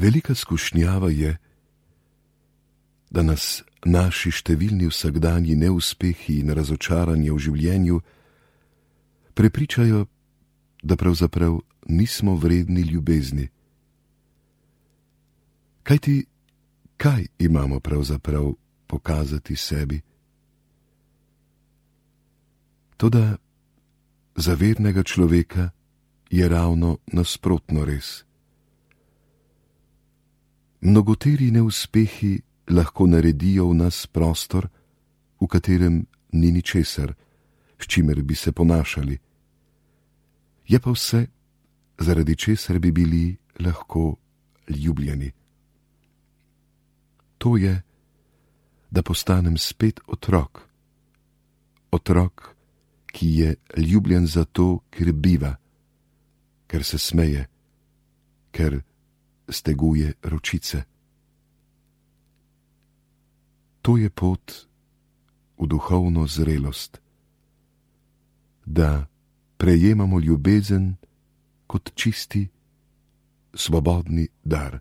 Velika skušnjava je, da nas naši številni vsakdanji neuspehi in razočaranje v življenju prepričajo, da pravzaprav nismo vredni ljubezni. Kajti, kaj imamo pravzaprav pokazati sebi? Toda za vernega človeka je ravno nasprotno res. Mnogoteri neuspehi lahko naredijo v nas prostor, v katerem ni ničesar, s čimer bi se ponašali. Je pa vse, zaradi česar bi bili lahko ljubljeni. To je, da postanem spet otrok. Otrok, ki je ljubljen zato, ker biva, ker se smeje, ker steguje ročice. To je pot v duhovno zrelost, da prejemamo ljubezen kot čisti, svobodni dar.